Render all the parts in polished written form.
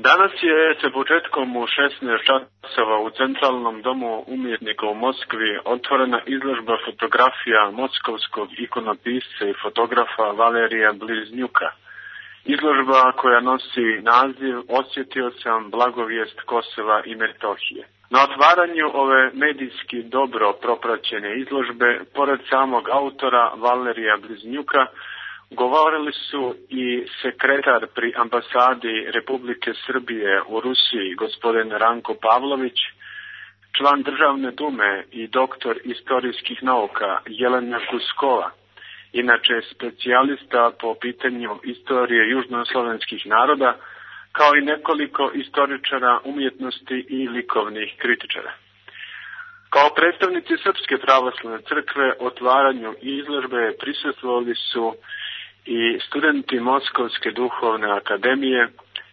Danas je sa početkom u 16 časova u Centralnom domu umjetnika u Moskvi otvorena izložba fotografija moskovskog ikonopisca i fotografa Valerija Bliznjuka. Izložba koja nosi naziv Osjetio sam blagovijest Kosova i Metohije. Na otvaranju ove medijski dobro propraćene izložbe, pored samog autora Valerija Bliznjuka, govorili su i sekretar pri ambasadi Republike Srbije u Rusiji, gospodin Ranko Pavlović, član Državne dume i doktor istorijskih nauka Jelena Kuskova, inače specijalista po pitanju istorije južnoslovenskih naroda, kao i nekoliko istoričara umjetnosti i likovnih kritičara. Kao predstavnici Srpske pravoslavne crkve otvaranju izložbe prisustvovali su i studenti Moskovske duhovne akademije,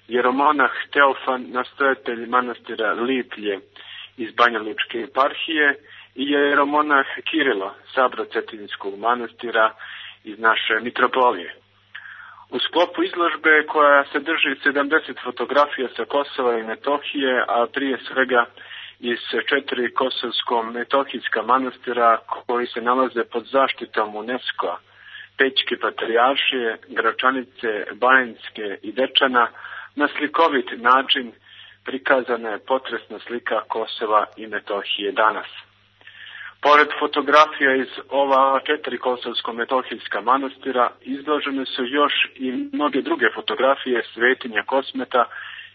jeromonah Teofan, nastojatelj manastira Liplje iz Banjalučke eparhije, i jeromonah Kirilo, Sabro-Cetinskog manastira iz naše mitropolije. U sklopu izložbe koja sadrži 70 fotografija sa Kosova i Metohije, a prije svega iz 4 kosovsko-metohijska manastira koji se nalaze pod zaštitom UNESCO-a, Pećke patrijaršije, Gračanice, Bajinske i Dečana, na slikovit način prikazana je potresna slika Kosova i Metohije danas. Pored fotografija iz ova 4 kosovsko-metohijska manastira izložene su još i mnoge druge fotografije svetinja Kosmeta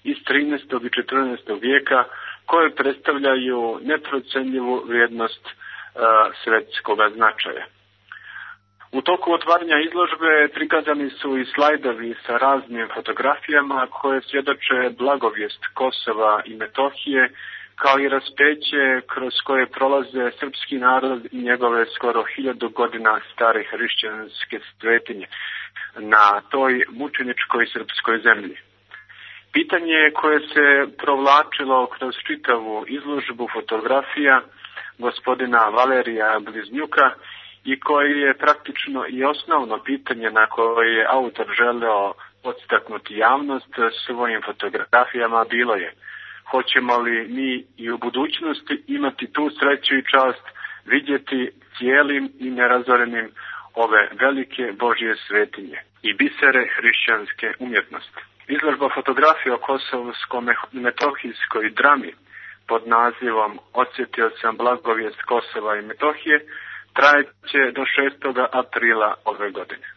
iz 13. i 14. vijeka koje predstavljaju neprocenljivu vrijednost svetskog značaja. U toku otvaranja izložbe prikazani su i slajdovi sa raznim fotografijama koje svjedoče blagovijest Kosova i Metohije, kao i raspeće kroz koje prolaze srpski narod i njegove skoro 1000 godina stare hrišćanske svetinje na toj mučeničkoj srpskoj zemlji. Pitanje koje se provlačilo kroz čitavu izložbu fotografija gospodina Valerija Bliznjuka i koje je praktično i osnovno pitanje na koje je autor želeo podstaknuti javnost svojim fotografijama bilo je: hoćemo li mi i u budućnosti imati tu sreću i čast vidjeti cijelim i nerazorenim ove velike Božje svetinje i bisere hrišćanske umjetnosti? Izložba fotografija o kosovsko-metohijskoj drami pod nazivom Osjetio sam blagovijest Kosova i Metohije trajeće do 6. aprila ove godine.